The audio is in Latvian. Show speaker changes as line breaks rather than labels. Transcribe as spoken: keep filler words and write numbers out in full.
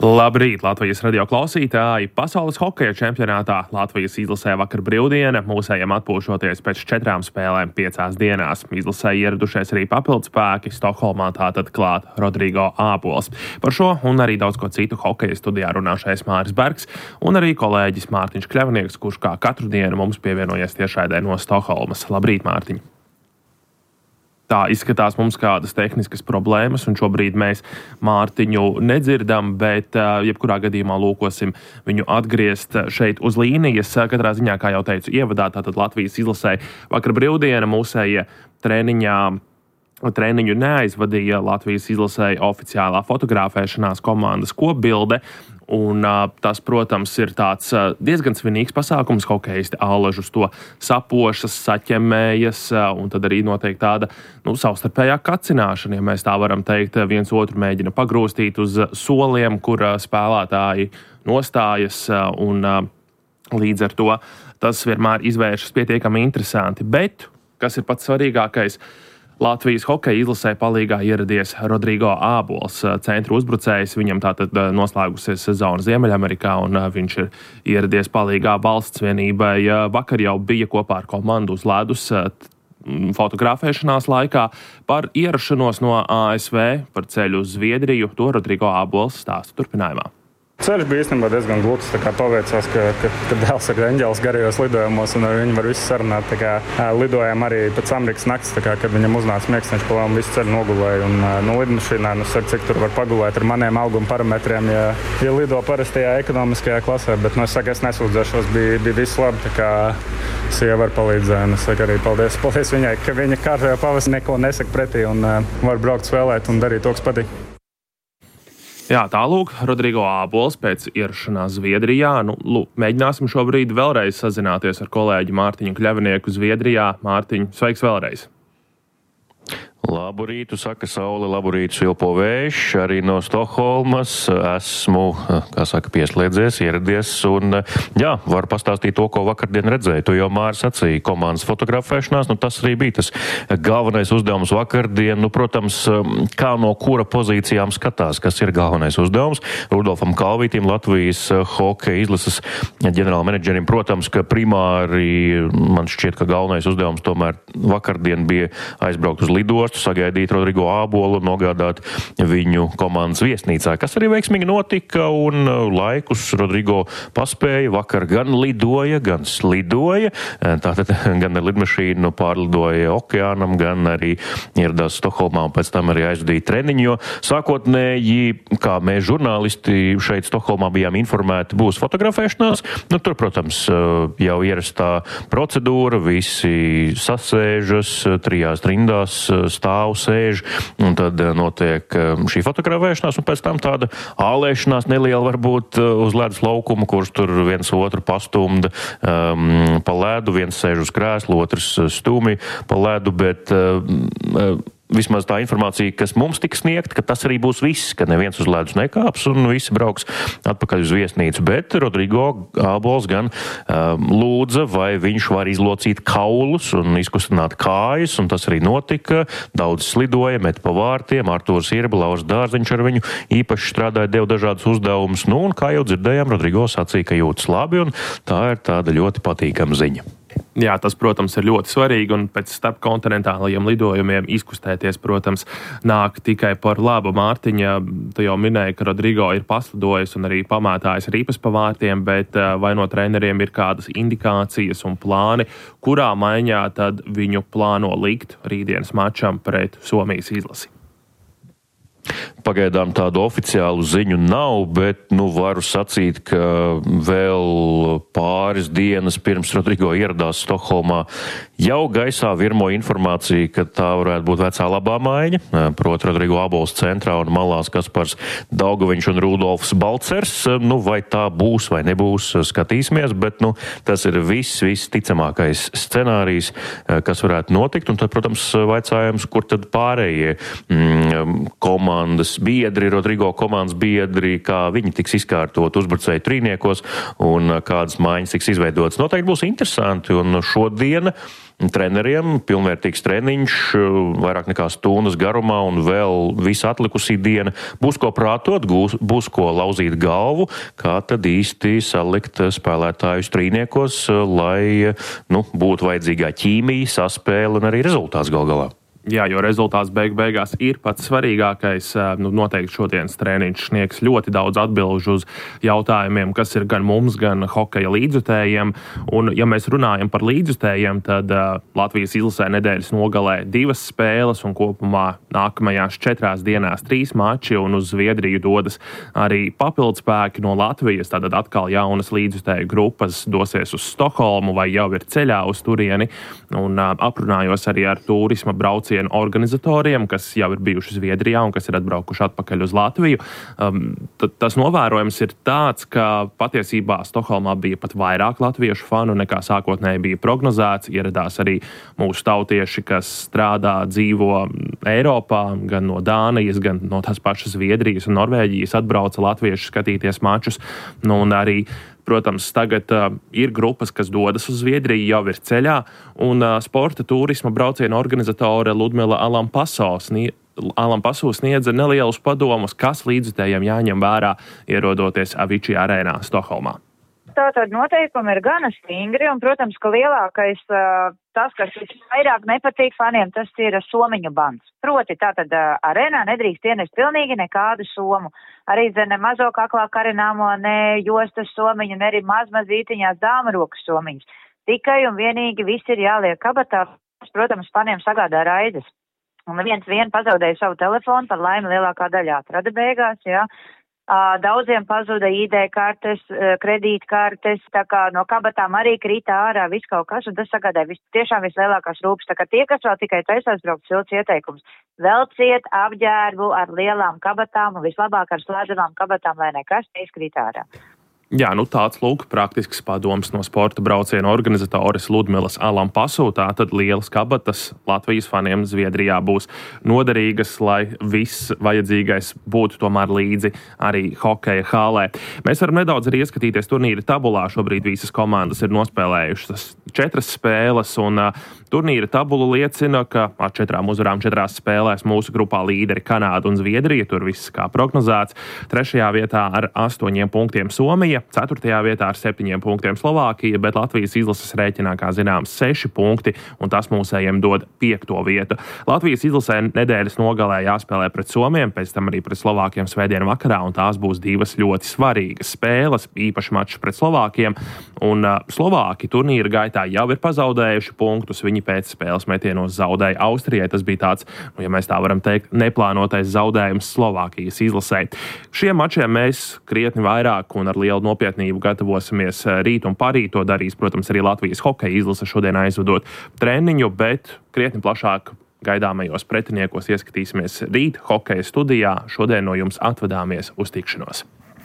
Labrīt, Latvijas radio klausītāji! Pasaules hokeja čempionātā Latvijas izlasē vakar brīvdiena, mūsējiem atpūšoties pēc četrām spēlēm piecās dienās. Izlasē ieradušies arī papildspēki, Stokholmā tātad klāt Rodrigo Ābols. Par šo un arī daudz ko citu hokeja studijā runāšais Māris Bergs un arī kolēģis Mārtiņš Kļavnieks, kurš kā katru dienu mums pievienojies tiešraidē no Stokholmas. Labrīt, Mārtiņ! Tā izskatās mums kādas tehniskas problēmas, un šobrīd mēs Mārtiņu nedzirdam, bet jebkurā gadījumā lūkosim viņu atgriezt šeit uz līnijas. Katrā ziņā, kā jau teicu ievadā, tātad Latvijas izlasē vakar brīvdiena mūsējie treniņā. Treniņu neaizvadīja Latvijas izlasē oficiālā fotografēšanās komandas kopbilde, un uh, tas, protams, ir tāds uh, diezgan svinīgs pasākums. Hokeisti allažus to sapošas, saķemējas, uh, un tad arī notiek tāda nu, savstarpējā kacināšana, ja mēs tā varam teikt. Viens otru mēģina pagrūstīt uz soliem, kur uh, spēlētāji nostājas, uh, un uh, līdz ar to tas vienmēr izvēršas pietiekami interesanti. Bet, kas ir pats svarīgākais, Latvijas hokeja izlasē palīgā ieradies Rodrigo Ābols, centra uzbrucējs. Viņam tātad noslēgusies sezona Ziemeļamerikā, un viņš ir ieradies palīgā valsts vienībai. Vakar jau bija kopā ar komandu uz ledus fotografēšanās laikā. Par ierašanos no A S V, par ceļu uz Zviedriju, to Rodrigo Ābols stāsta turpinājumā.
Ceļš bija īstenībā diezgan gluds, tā kā paveicās, ka, ka, ka dēls ir eņģelis garajos lidojumos, un ar viņu var visu sarunāt. Tā kā lidojām arī pēc Amerikas nakts, tā kā, kad viņam uznāca miegs, viņš palēm visu ceļu nogulēja. Un nu, lidmašīnā, nu, saka, cik tur var pagulēt ar maniem auguma parametriem, ja, ja lido parastajā ekonomiskajā klasē. Bet, nu, es saku, es nesūdzēšos, bija, bija viss labi, tā kā sieva var palīdzēt. Un es saku arī paldies, paldies viņai, ka viņa kārtajā pavasarī neko nesaka pretī un uh, var braukt spēlēt un darīt to, kas patīk.
Jā, tālūk, Rodrigo Ābols pēc ierašanās Zviedrijā. Nu, lūk, mēģināsim šobrīd vēlreiz sazināties ar kolēģi Mārtiņu Kļavnieku Zviedrijā. Mārtiņ, sveiks vēlreiz!
Labu rītu, saka saule, labu rītu svilpo vējš, arī no Stokholmas. Esmu, kā saka, pieslēdzies, ieradies un, jā, varu pastāstīt to, ko vakardien redzēju. Tu jau, Māris, sacīji komandas fotografēšanās, nu tas arī bija tas galvenais uzdevums vakardien. Nu, protams, kā no kura pozīcijām skatās, kas ir galvenais uzdevums. Rudolfam Kalvītim, Latvijas hokeja izlases ģenerāla menedžerim, protams, ka primāri man šķiet, ka galvenais uzdevums tomēr vakardien bija aizbraukt uz lidostu, sagaidīt Rodrigo Ābolu un nogādāt viņu komandas viesnīcā, kas arī veiksmīgi notika, un laikus Rodrigo paspēja. Vakar gan lidoja, gan slidoja. Tātad gan ar lidmašīnu pārlidoja okeānam, gan arī ieradās Stokholmā un pēc tam arī aizvadīja treniņu, jo sākotnēji, kā mēs žurnālisti šeit Stokholmā bijām informēti, būs fotografēšanās. Nu, tur, protams, jau ierastā procedūra, visi sasēžas, trijās rindās stāv, sēž, un tad notiek šī fotografēšanās, un pēc tam tāda ālēšanās neliela varbūt uz ledus laukuma, kurš tur viens otru pastumda um, pa ledu, viens sēž uz krēslu, otrs stūmi pa ledu, bet uh, vismaz tā informācija, kas mums tika sniegta, ka tas arī būs viss, ka neviens uz ledus nekāps un visi brauks atpakaļ uz viesnīcu. Bet Rodrigo Ābols gan um, lūdza, vai viņš var izlocīt kaulus un izkustināt kājas, un tas arī notika. Daudz slidoja, met pa vārtiem, Artūrs Irba, Lauris Dārziņš ar viņu īpaši strādāja, deva dažādus uzdevumus. Nu, un kā jau dzirdējām, Rodrigo sacīja, ka jūtas labi, un tā ir tāda ļoti patīkama ziņa.
Jā, tas, protams, ir ļoti svarīgi, un pēc starpkontinentālajiem lidojumiem izkustēties, protams, nāk tikai par labu. Mārtiņa, tu jau minēji, ka Rodrigo ir paslidojis un arī pamētājis ripas pa vārtiem, bet vai no treneriem ir kādas indikācijas un plāni, kurā maiņā tad viņu plāno likt rītdienas mačam pret Somijas izlasi?
Pagaidām tādu oficiālu ziņu nav, bet, nu, varu sacīt, ka vēl pāris dienas pirms Rodrigo ieradās Stokholmā jau gaisā virmo informācija, ka tā varētu būt vecā labā maiņa, proti Rodrigo Ābols centrā un malās Kaspars Daugaviņš un Rudolfs Balcers. Nu, vai tā būs vai nebūs, skatīsimies, bet, nu, tas ir viss, viss ticamākais scenārijs, kas varētu notikt, un tad, protams, vaicājums, kur tad pārējie mm, komandas komandas biedri, Rodrigo komandas biedri, kā viņi tiks izkārtot uzbrucēju trīniekos un kādas maiņas tiks izveidotas. Noteikti būs interesanti, un šodien treneriem pilnvērtīgs treniņš vairāk nekā stundas garumā un vēl visa atlikusī diena. Būs ko prātot, būs ko lauzīt galvu, kā tad īsti salikt spēlētājus trīniekos, lai nu, būtu vajadzīgā ķīmija, saspēle un arī rezultāts gal galā.
Jā, jo rezultāts beig beigās ir pats svarīgākais. Nu, noteikti šodienas treniņš sniegs ļoti daudz atbilžu uz jautājumiem, kas ir gan mums, gan hokeja līdzjutējiem. Un, ja mēs runājam par līdzjutējiem, tad uh, Latvijas izlasē nedēļas nogalē divas spēles un kopumā nākamajās četrās dienās trīs mači, un uz Zviedriju dodas arī papildspēki no Latvijas. Tātad atkal jaunas līdzjutēju grupas dosies uz Stokholmu vai jau ir ceļā uz turieni. Un uh, aprunājos arī ar turisma braucienu organizatoriem, kas jau ir bijuši Zviedrijā un kas ir atbraukuši atpakaļ uz Latviju. Um, tas novērojums ir tāds, ka patiesībā Stokholmā bija pat vairāk latviešu fanu nekā sākotnēji bija prognozēts. Ieradās arī mūsu tautieši, kas strādā, dzīvo Eiropā, gan no Dānijas, gan no tās pašas Zviedrijas un Norvēģijas atbrauca latvieši skatīties mačus. Nu, un arī protams, tagad uh, ir grupas, kas dodas uz Zviedriju, jau ir ceļā, un uh, sporta turisma brauciena organizatore Ludmila Alampaso snie, Alampaso sniedza nelielus padomus, kas līdzjutējiem jāņem vērā, ierodoties Avicii arēnā Stokholmā.
Tātad noteikumi ir gana stingri, un, protams, ka lielākais uh, tas, kas vairāk nepatīk faniem, tas ir somiņu bans. Proti, tātad uh, arēnā nedrīkst ienest pilnīgi nekādu somu. Arī ne mazo kaklā karināmo, ne jostas somiņu, ne arī mazmazītiņās dāma rokas somiņas. Tikai un vienīgi viss ir jāliek kabatā, protams, faniem sagādā raizes. Un viens vien pazaudēja savu telefonu, par laimi lielākā daļā atrada beigās, jā. Daudziem pazuda I D kartes, kredītkartes, tā kā no kabatām arī krita ārā viss kaut kas, un tas sagādāja vis, tiešām vislielākās rūpes. Tā kā tie, kas vēl tikai taisās braukt, silts ieteikums. Velciet apģērbu ar lielām kabatām un vislabāk ar slēdzamām kabatām, lai nekas neizkrīt ārā.
Jā, nu tāds lūk praktisks padoms no sporta brauciena organizatoris Ludmilas Alampaso. Tātad lielas kabatas Latvijas faniem Zviedrijā būs noderīgas, lai viss vajadzīgais būtu tomēr līdzi arī hokeja hālē. Mēs varam nedaudz arī ieskatīties turnīra tabulā. Šobrīd visas komandas ir nospēlējušas četras spēles, un uh, turnīra tabula liecina, ka ar četrām uzvarām četrās spēlēs mūsu grupā līderi Kanāda un Zviedrija. Tur viss kā prognozēts. Trešajā vietā ar astoņiem punktiem Somija. Ceturtajā vietā ar septiņiem punktiem Slovākija, bet Latvijas izlases rēķinā, kā zināms, seši punkti, un tas mūsējiem dod piekto vietu. Latvijas izlasē nedēļas nogalē jāspēlē pret Somiem, pēc tam arī pret Slovākiem svētdienu vakarā, un tās būs divas ļoti svarīgas spēles, īpaši mačs pret Slovākiem, un uh, Slovāki turnīra gaitā jau ir pazaudējuši punktus, viņi pēc spēles metienos zaudēja Austrijai. Tas bija tāds, nu, ja mēs tā varam teikt, neplānotais zaudējums Slovākijas izlasē. Šiem mačiem mēs krietni vairāk un ar lielu nopietnību gatavosimies rīt un parīt. To darīs, protams, arī Latvijas hokeja izlase šodien aizvadot treniņu, bet krietni plašāk gaidāmajos pretiniekos ieskatīsimies rīt hokeja studijā. Šodien no jums atvadāmies uz tikšanos.